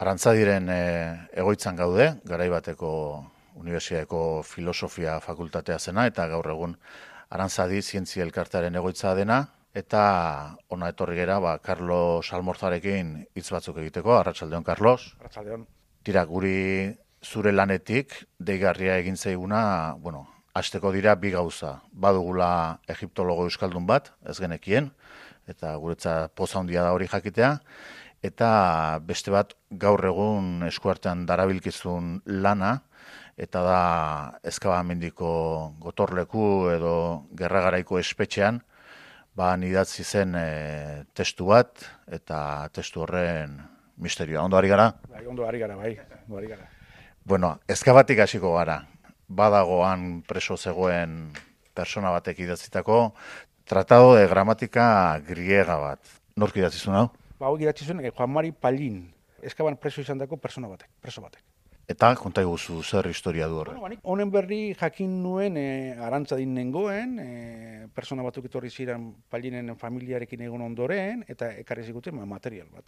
Arantzadiren egoitzan gaude, garaibateko Unibertsitateko Filosofia Fakultatea zena, eta gaur egun Arantzadi Zientzia Elkartearen egoitza dena, eta ona etorri gera, Carlos Almorzarekin hitz batzuk egiteko. Arratsaldeon, Carlos. Arratsaldeon. Tira, guri zure lanetik deigarria egin zaiguna, hasteko dira bi gauza. Badugula egiptologo euskaldun bat, ez genekien, eta guretzat poza handia da hori jakitea, eta beste bat gaur egun eskuartean darabilkizun lana, eta da Ezkabamendiko gotorleku edo gerragaraiko espetxean, idatzi zen testu bat, eta testu horren misterioa. Ondo ari gara? Bai, ondo ari gara, bai. Ondo ari gara. Bueno, Ezkabatik hasiko gara. Badagoan preso zegoen persona batek idatzitako Tratado de Gramatika Griega bat. Nork idatzi zuen hau? Hau idatzi zuen Juan Mari Pallin, Ezkaban preso izandako preso batek. Eta konta iguzu zer historia du horre? Honen berri jakin nuen Arantzadin nengoen, persona batzuk etorri ziren Pallinen familiarekin egon ondoren, eta ekarri ziguten material bat.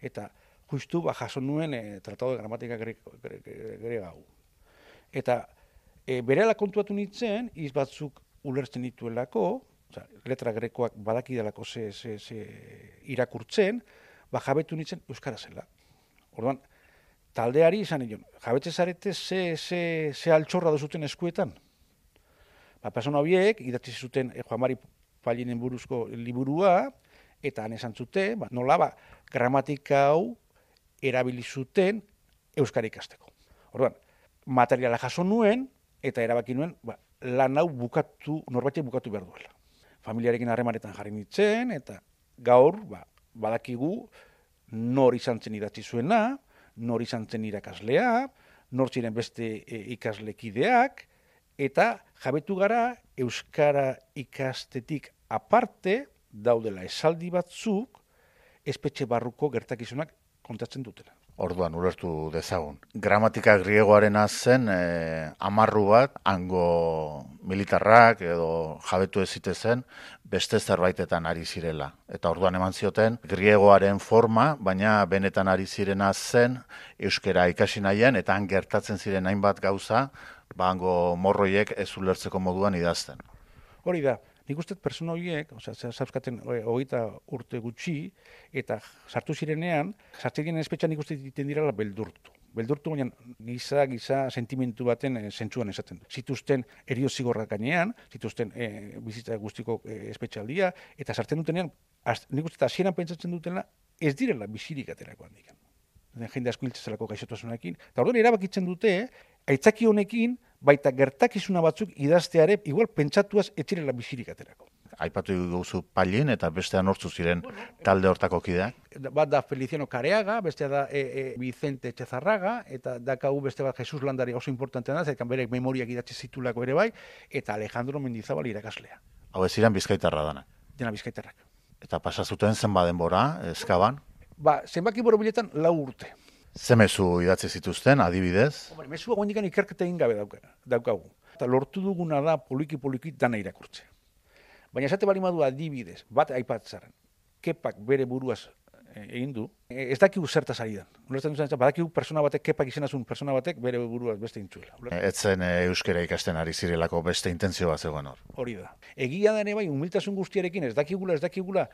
Eta justu jaso nuen Tratado de Gramatika Griega hau. Eta berehala kontuatu nintzen, hitz batzuk ulertzen dituelako, letra grekoak badakidalako ze irakurtzen, jabetu nintzen euskara zela. Orduan, taldeari izan nion, jabetze zarete ze altxorra duzuten eskuetan. Persona horiek idatzi zuten Juan Mari Pallinen buruzko liburua, eta han esan zuten, nola gramatika hau erabili zuten euskara ikasteko. Orduan, materiala jaso nuen, eta erabaki nuen, lan hau norbaitek bukatu behar duela. Familiarekin harremanetan jarri nintzen, eta gaur, badakigu, nor izan zen idatzi zuena, nor izan zen irakaslea, nor ziren beste ikaslekideak, eta jabetu gara euskara ikastetik aparte daudela esaldi batzuk espetxe barruko gertakizunak kontatzen dutela. Orduan, ulertu dezagun. Gramatika griegoarena zen amarru bat, hango militarrak edo jabetu ezite zen, beste zerbaitetan ari zirela. Eta orduan eman zioten, griegoaren forma, baina benetan ari zirena zen, euskara ikasi nahian, eta han gertatzen ziren hainbat gauza, hango morroiek ez ulertzeko moduan idazten. Hori da. Nik uste persona horiek, zauzkaten 20 urte gutxi, eta sartu zirenean, sartzen espetxean nik uste egiten direla beldurtu. Beldurtu baina giza sentimentu baten zentzuan esaten. Zituzten erio zigorrak gainean, zituzten bizitza guztiko espetxaldia, eta sartzen dutenean, nik uste hasieran pentsatzen dutela, ez direla bizirik aterako handik. Jende asko hiltzezelako gaixotasunarekin. Eta orduan erabakitzen dute, aitzaki honekin, baita gertakizuna batzuk idazteare, igual pentsatuaz etxirela bizirik aterako. Aipatu duzu Pallin eta bestean hortzu ziren talde hortako kideak? Bat da Feliciano Careaga, bestea da Vicente Etxezarraga, eta dakau beste bat Jesus Landari oso importantean da, zaikan berek memoriak idatzi zitulako ere bai, eta Alejandro Mendizabal irakaslea. Hau ez ziren bizkaitarra dana? Dena bizkaitarrak. Eta pasazuten zenba denbora, Ezkaban? Zenbaki borobiletan 4 urte. Ze mezu idatzi zituzten, adibidez? Mezua goendikan ikerketa egin gabe daukagu. Eta lortu duguna da poliki dana irakurtze. Baina esate bali madu adibidez, bat aipatzaren, Kepak bere buruaz egin du, ez dakigu zertaz ari dan. Badakigu persona batek, Kepak izenazun persona batek bere buruaz beste intzuela. Ez zen euskara ikasten ari zirelako beste intentzio bat zegoen hor. Hori da. Egia da ere bai, humiltasun guztiarekin ez dakigula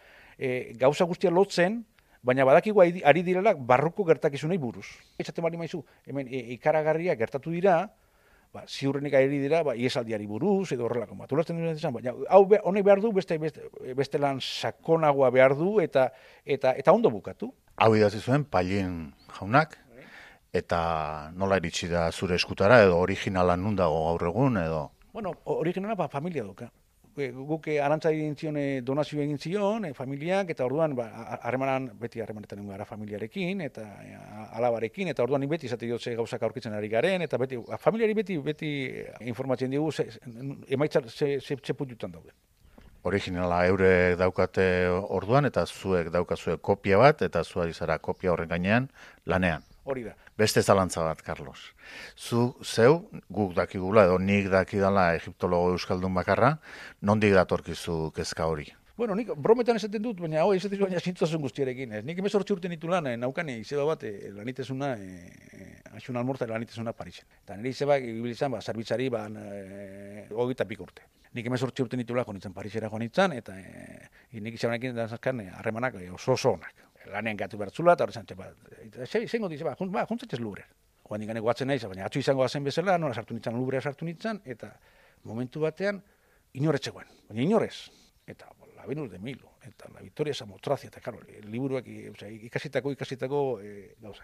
gauza guztia lotzen, baina badakigu ari direla barruko gertakizunei buruz. Esaten bali maizu, hemen ikaragarria gertatu dira, ziurrenik ari dira, iesaldiari buruz, edo horrelako bat. Ulertzen duen esan, baina honek behar du, beste lan sakonagoa behar du, eta ondo bukatu. Hau idatzi zuen Pallin jaunak, eta nola iritsi da zure eskutara, edo originala nun dago gaur egun, edo? Bueno, originala familia duka. Guk Arantzadi egin zion, donazio egin zion, familiak, eta orduan beti harremanetan egun gara familiarekin, eta alabarekin, eta orduan beti izate dut ze gauzak aurkitzen ari garen, eta familiari beti informatzen digu emaitzat ze puntutan dauden. Originala eurek daukate orduan, eta zuek daukazue kopia bat, eta zuari zara kopia horren gainean lanean. Hori da. Beste zalantza bat, Carlos. Zeu, guk dakigula, edo nik dakidala egiptologo euskaldun bakarra, nondik datorkizu kezka hori? Bueno, nik brometan esaten dut, baina hau esaten dut, baina zintzozen guztiarekin. Ez. Nik 18 urte nitu lan, naukan izeba bat, lanitezuna, Axun Almorza lanitezuna Parisen. Eta nire izeba, ibilizan, zerbitzari, 25 urte. Nik 18 urte nitu lan, jonitzen Parisera jonitzen, eta nik izabanekin dantzazkan harremanak oso onak. Lanean gatu bertzula, eta horretzen, zein goti izeba, juntzatzez Lubrer. Oan dikane goatzen nahi, baina atzu izango zen bezala, nora sartu nintzen, Lubrea sartu nintzen, eta momentu batean, inoretzegoen, baina inorez. Eta la Venus de Milo, eta la Victoria Samotracia, eta karo, liburuak ikasitako gauza.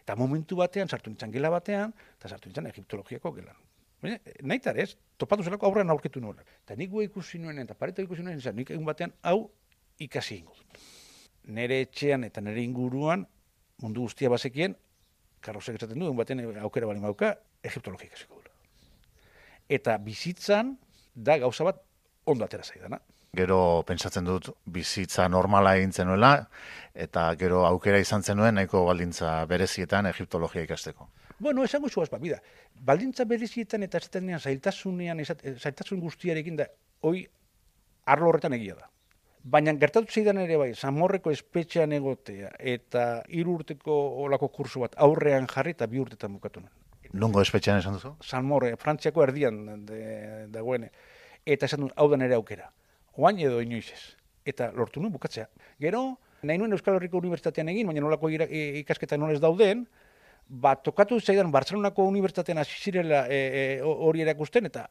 Eta momentu batean, sartu nintzen gela batean, eta sartu nintzen egiptologiako gelan. Nahitar ez, topatu zelako aurrean aurketu nuen. Eta nik ikusi nuen, eta pareta ikusi nuen, nik egun batean, hau ikasi ingo dut. Nere etxean eta nere inguruan, mundu guztia bazekien, karrozek esaten du, egun batean aukera bali mauka, egiptologia ikasiko dut. Eta bizitzan, da gauza bat ondo atera zaidana. Gero pentsatzen dut bizitza normala egin zenuela, eta gero aukera izan zenuen nahiko baldintza berezietan egiptologia ikasteko. Bueno, esango zuaz, bida. Baldintza berezietan eta zailtasun guztiarekin da, hoi arlo horretan egia da. Baina gertatu zeidan ere bai, Zamorreko espetxean egotea eta 3 urteko olako kurso bat aurrean jarri eta 2 urtetan bukatu nuen. Nungo espetxean esan duzu? Zamorre, Frantziako erdian dagoen. Eta esan duen, hau da nere aukera. Oain edo inoiz ez. Eta lortu nuen bukatzea. Gero, nahi nuen Euskal Herriko Unibertsitatean egin, baina nolako ikasketa nolez dauden, tokatu zaidan Bartzelonako Unibertsitatean hasi zirela hori erakusten, eta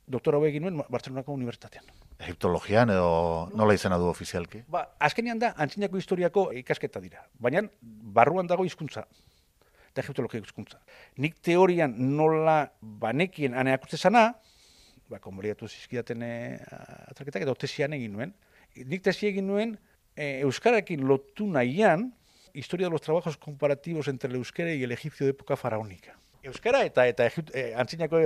doktora hau egin nuen Bartzelonako Unibertsitatean. Egiptologian edo nola izena du ofizialki? Azkenean da, antzinako historiako ikasketa dira. Baina barruan dago hizkuntza eta egiptologia hizkuntza. Nik teorian nola banekien aneakutze zana, konboliatu zizkidaten atraketak, eta tesian egin nuen. Nik tesi egin nuen, euskararekin lotu nahian, historia de los trabajos comparativos entre el euskera y el egipcio de época faraónica. Euskara eta antzinako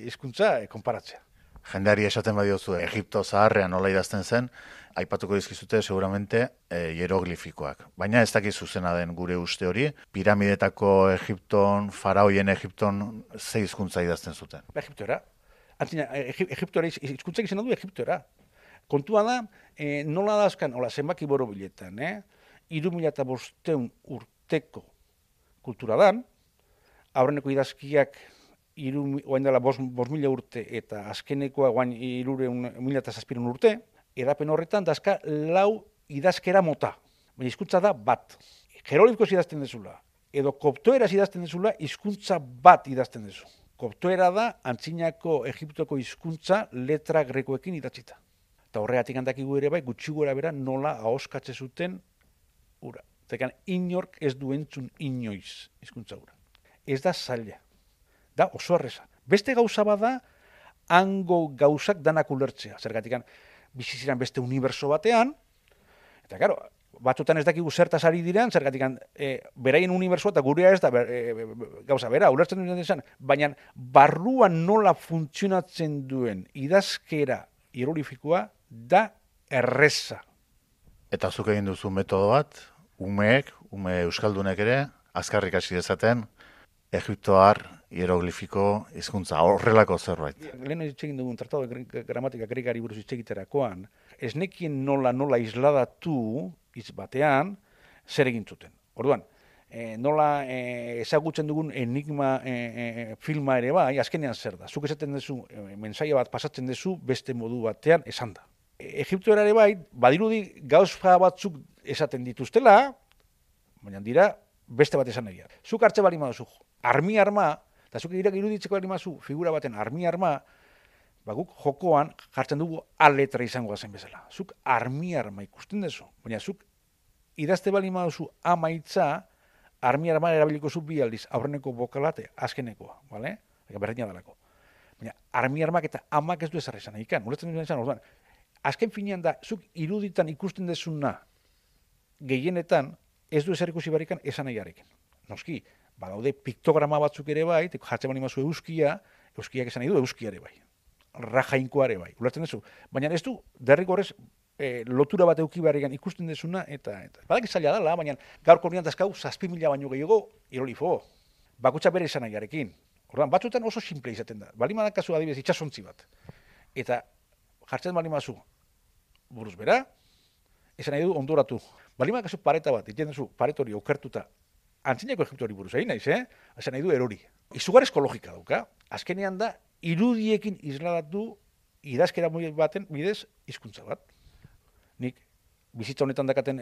hizkuntza konparatzea. Jendeari esaten badiozu Egipto zaharrean nola idazten zen, aipatuko dizkizute seguramente hieroglifikoak. Baina ez dakiz zuzena den gure uste hori, piramidetako Egipton, faraoien Egipton, ze hizkuntza idazten zuten? Egiptoera. Egiptoera hizkuntza izena du Egiptoera. Kontua da, nola dazkan, zenbaki borobiletan, 3.500 urteko kultura dan, aurreneko idazkiak oain dela 5.000 urte eta azkenekoa oain 3.007 urte, edapen horretan dazka 4 idazkera mota. Baina hizkuntza da bat. Jeroglifikoz idazten dezula, edo koptoeraz idazten dezula, hizkuntza bat idazten dezu. Koptoera da antzinako Egiptoko hizkuntza letra grekoekin idatzita. Eta horregatik handakigu ere bai, gutxi gora bera nola ahoskatze zuten ura. Zekan inork ez du entzun inoiz hizkuntza ura. Ez da zaila. Da oso erreza. Beste gauza bada, hango gauzak danak ulertzea. Zergatik biziziran beste uniberso batean, eta karo, batzutan ez dakigu zertaz ari diren, zergatik beraien unibersoa eta gurea ez da gauza bera, ulertzen duen desan, baina barruan nola funtzionatzen duen idazkera hieroglifikoa da erreza. Eta zuk egin duzu metodo bat, ume euskaldunek ere, azkarrik hasi dezaten, egiptoar hieroglifiko hizkuntza horrelako zerbait. Lehen egin dugun tratado de gramatika gregari buruz egiterakoan, ez nekien nola isladatu hitz batean zer egin zuten. Orduan, nola ezagutzen dugun enigma filma ere bai, azkenean zer da. Zuk esaten duzu, mensaia bat pasatzen duzu beste modu batean esan da. Egiptoera ere bai, badirudi gauza batzuk esaten dituztela, baina dira beste bat esan nahi. Zuk hartze bali maduzu, arma, eta zuk iruditzeko bali maduzu figura baten arma, guk jokoan jartzen dugu A letra izango zen bezala. Zuk arma ikusten duzu, baina zuk idazte bali maduzu amaitza, arma erabiliko zu bi aldiz, aurreneko bokalate, azkenekoa, bale? Berdina dalako. Baina armak eta amak ez du ezarri esan ikan, ulertzen duen esan, orduan, azken finean da, zuk iruditan ikusten dezuna gehienetan, ez du ezer ikusi barrikan esan nahiarekin. Noski, badaude piktograma batzuk ere bai, jartzen bali mazu euskiak esan nahi du euski ere bai. Rajainkoa ere bai, ulertzen duzu. Baina ez du, derrigorrez, lotura bat euki barrikan ikusten dezuna, eta badak zaila dela, baina gaurko horrean dazkau 7.000 baino gehiago hieroglifo. Bakutsa bere esan nahiarekin. Orduan, batzuetan oso simple izaten da. Bali madan kasu adibidez itxasontzi bat. Eta jartzen bali mazu, buruz bera, esan nahi du ondoratu. Balima kasu pareta bat, iten duzu paret hori okertuta, antzinako Egiptoari buruz egin naiz, esan nahi du erori. Izugarrizko logika dauka, azkenean da, irudiekin isladatu idazkera baten bidez hizkuntza bat. Nik bizitza honetan dakaten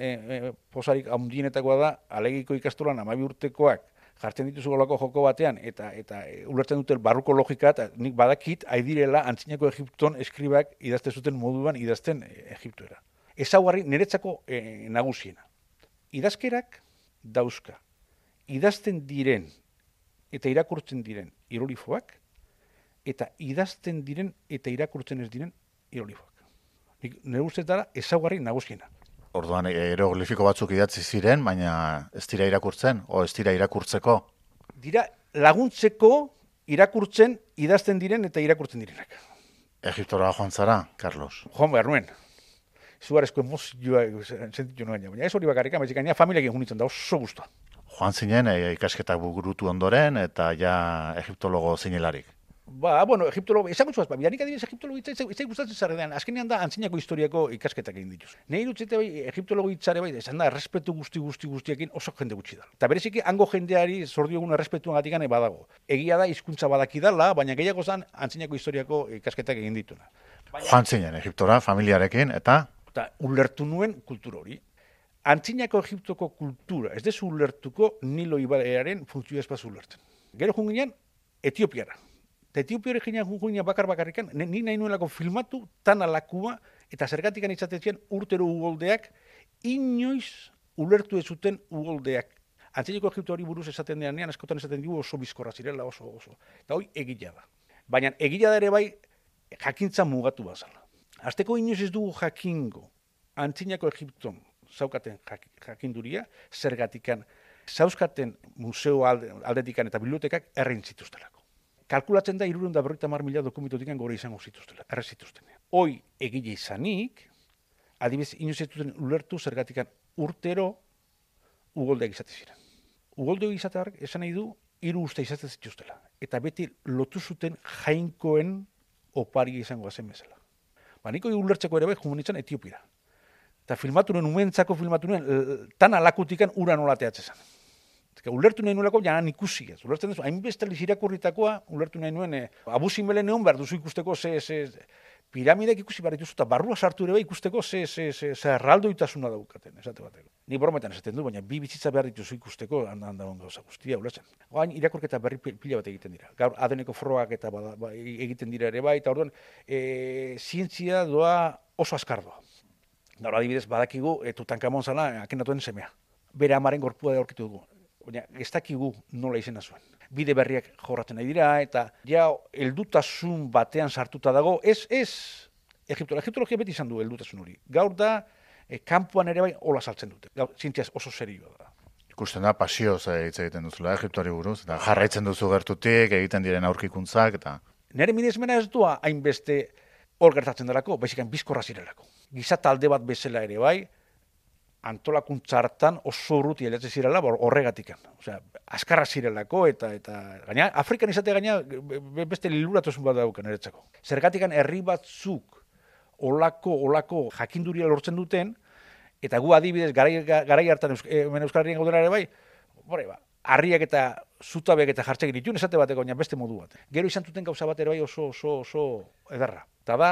posarik handienetakoa da, alegiko ikastolan 12 urtekoak jartzen dituzu golako joko batean, eta ulertzen dute barruko logika, eta nik badakit, aidirela antzinako Egipton eskribak idazte zuten moduan idazten Egiptoera. Ezaugarri niretzako nagusiena. Idazkerak dauzka. Idazten diren eta irakurtzen diren hieroglifoak, eta idazten diren eta irakurtzen ez diren hieroglifoak. Nire usteetara ezaugarri nagusiena. Orduan, hieroglifiko batzuk idatzi ziren, baina ez dira irakurtzen, o ez dira irakurtzeko? Dira laguntzeko irakurtzen, idazten diren eta irakurtzen direnak. Egiptora joan zara, Carlos? Joan behar nuen. Zugarezko emozioa sentitu nuen, baina ez hori bakarrik, baizik gaina familiakin junitzen da oso guztua. Joan zinen, ikasketak burutu ondoren, eta ja egiptologo zinelarik. Bueno, egiptologo, esango zuaz, bidanik adibidez egiptologo hitzai gustatzen zarredean, azkenean da antzinako historiako ikasketak egin dituz. Nei dutzete bai, egiptologo hitzare bai, esan da, errespetu guztiekin oso jende gutxi da. Eta bereziki, hango jendeari zordio egun errespetuan gatikane badago. Egia da, hizkuntza badakidala, baina gehiago zan antzinako historiako ikasketak egin dituna. Joan zinen, Egiptora, familiarekin, eta ulertu nuen kultura hori. Antzinako Egiptoko kultura, ez dezu ulertuko Nilo ibaiaren funtzioa espaz ulertzen. Gero junginean, Etiopiara. Eta Etiopiara junginean bakarrikan, nik nahi nuelako filmatu tan alakua, eta zergatikan izatezian urtero ugoldeak, inoiz ulertu ez zuten ugoldeak. Antzinako Egipto hori buruz esaten denean, askotan esaten dugu oso bizkorra zirela, oso. Eta hori egila da. Baina egila da ere bai, jakintza mugatu bazala. Azteko inoiz ez dugu jakingo, antzinako Egipton zaukaten jakinduria, zergatikan, zauzkaten museo aldetikan eta bibliotekak errein zituztelako. Kalkulatzen da 350.000 dokumentotikan gore izango zituztela, erre zituzten. Hoi egile izanik, adibidez inoiz ez duten ulertu zergatikan urtero ugoldeak izate ziren. Ugoldeak izateak esan nahi du 3 uste izaten zituztela. Eta beti lotu zuten jainkoen opari izango zen bezala. Niko ulertzeko ere bai jumenitzen Etiopira. Eta umentzako filmatu nuen, tan alakutikan ura nola teatzen zen. Ulertu nahi nuelako janan ikusi ez. Ulertzen duzu, hainbeste irakurritakoa, ulertu nahi nuen, abuzinbelen egon behar duzu ikusteko piramidek ikusi behar dituzu, eta barrua sartu ere bai ikusteko ze erraldoitasuna daukaten, esate bateko. Ni brometan esaten du, baina bi bizitza behar dituzu ikusteko, handagon gauza guztia, ulertzen. Hain irakurketa berri pila bat egiten dira. Gaur adeneko frogak eta egiten dira ere bai, eta orduan, zientzia doa oso azkar doa. Gaur adibidez badakigu, Tutankamon zala, Akenatuen semea. Bere amaren gorpua aurkitu dugu. Baina ez dakigu nola izena zuen. Bide berriak jorratzen nahi dira, eta ja heldutasun batean sartuta dago, ez Egiptologia beti izan du heldutasun hori. Gaur da, kanpoan ere bai hola saltzen dute. Gaur, zientziaz oso serioa da. Ikusten da, pasioz hitz egiten duzula Egiptoari buruz, eta jarraitzen duzu gertutik, egiten diren aurkikuntzak, eta... Nere miresmena ez doa hainbeste hor gertatzen delako, baizik bizkorra zirelako. Giza talde bat bezala ere bai, antolakuntza hartan oso urruti helatzen zirela horregatikan. Osea, azkarra zirelako eta gaina Afrikan izate gaina beste liluratosun bat daukan eretzako. Zergatikan herri batzuk olako jakinduria lortzen duten, eta gu adibidez garai hartan Euskal Herrian gaudela ere bai, harriak eta zutabek eta jartzek dituen esate bateko baina beste modu bat. Gero izan zuten gauza bat ere bai oso ederra. Eta da,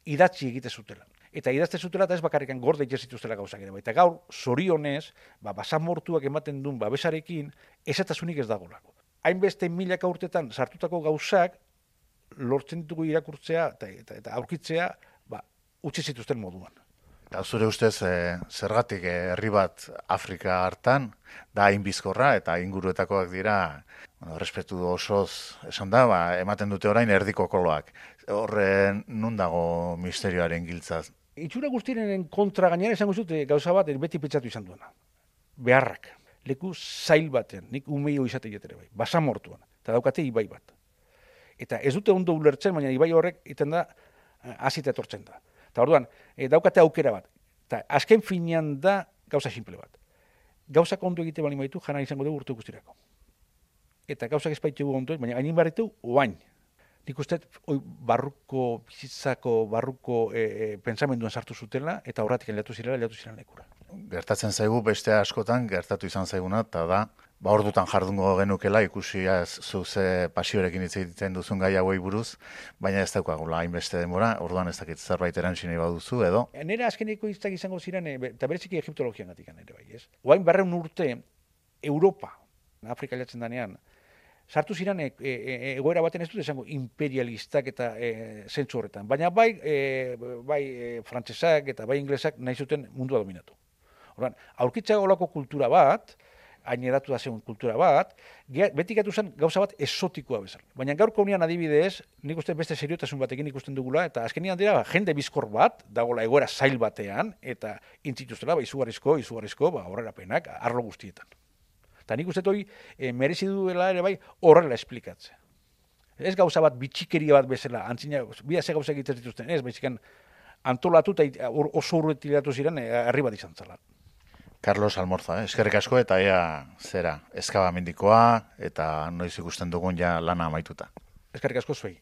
idatzi egite zutela. Eta idazte zutela eta ez bakarrikan gorde itxezituztela gauzak ere. Eta gaur, zorionez, basamortuak ematen duen babesarekin, esatasunik ez dagolako. Hainbeste milaka urtetan sartutako gauzak, lortzen ditugu irakurtzea eta aurkitzea, utzi zituzten moduan. Eta zure ustez, zergatik herri bat Afrika hartan, da hain bizkorra eta inguruetakoak dira, errespetu osoz esan da, ematen dute orain erdiko koloak. Horren nun dago misterioaren giltzaz? Itxura guztiren kontra gainera esango zute gauza bat beti pentsatu izan duena. Beharrak. Leku zail baten, nik umeio izate ere bai, basamortuan, eta daukate ibai bat. Eta ez dute ondo ulertzen, baina ibai horrek iten da, azita etortzen da. Eta orduan, daukate aukera bat. Eta azken finean da gauza simple bat. Gauzak ondo egite bali maitu, jana izango dugu urte guztirako. Eta gauzak ez baitu ondo, baina hainin barritu, oain. nik uste, barruko, bizitzako, barruko pentsamenduan sartu zutela, eta horretik lehiatu ziren lekura. Gertatzen zaigu beste askotan, gertatu izan zaiguna, eta da, ordutan jardungo genukela, ikusi zuze pasiorekin hitz egiten duzun gai hauei buruz, baina ez daukagula hainbeste denbora, orduan ez dakit zerbait erantzun nahi baduzu, edo? Nera azkeneko hitzak izango ziren, eta bereziki egiptologian gatik ere bai, ez? Oain 200 urte, Europa, Afrika jatzen danean, sartu ziren egoera baten ez dut esango imperialistak eta zentzu horretan, baina bai frantsesak eta bai inglesak nahi zuten mundua dominatu. Orduan, aurkitza olako kultura bat, hain edatu da zen kultura bat, beti gatu zen gauza bat esotikoa bezala. Baina gaurko unian adibidez, nik uste beste seriotasun batekin ikusten dugula, eta azkenean dira jende bizkor bat, dagoela egoera zail batean, eta intzituztela, izugarrizko, horrelapenak, arlo guztietan. Eta nik uste hori merezi duela ere bai horrela esplikatzea. Ez gauza bat bitxikeria bat bezala, antzina, bida ze gauza egiten dituzten, ez, baizikan antolatu eta oso urretilatu ziren herri bat izan zela. Carlos Almorza, eskerrik asko eta ea zera, eskabamendikoa eta noiz ikusten dugun ja lana amaituta. Eskerrik asko zuei.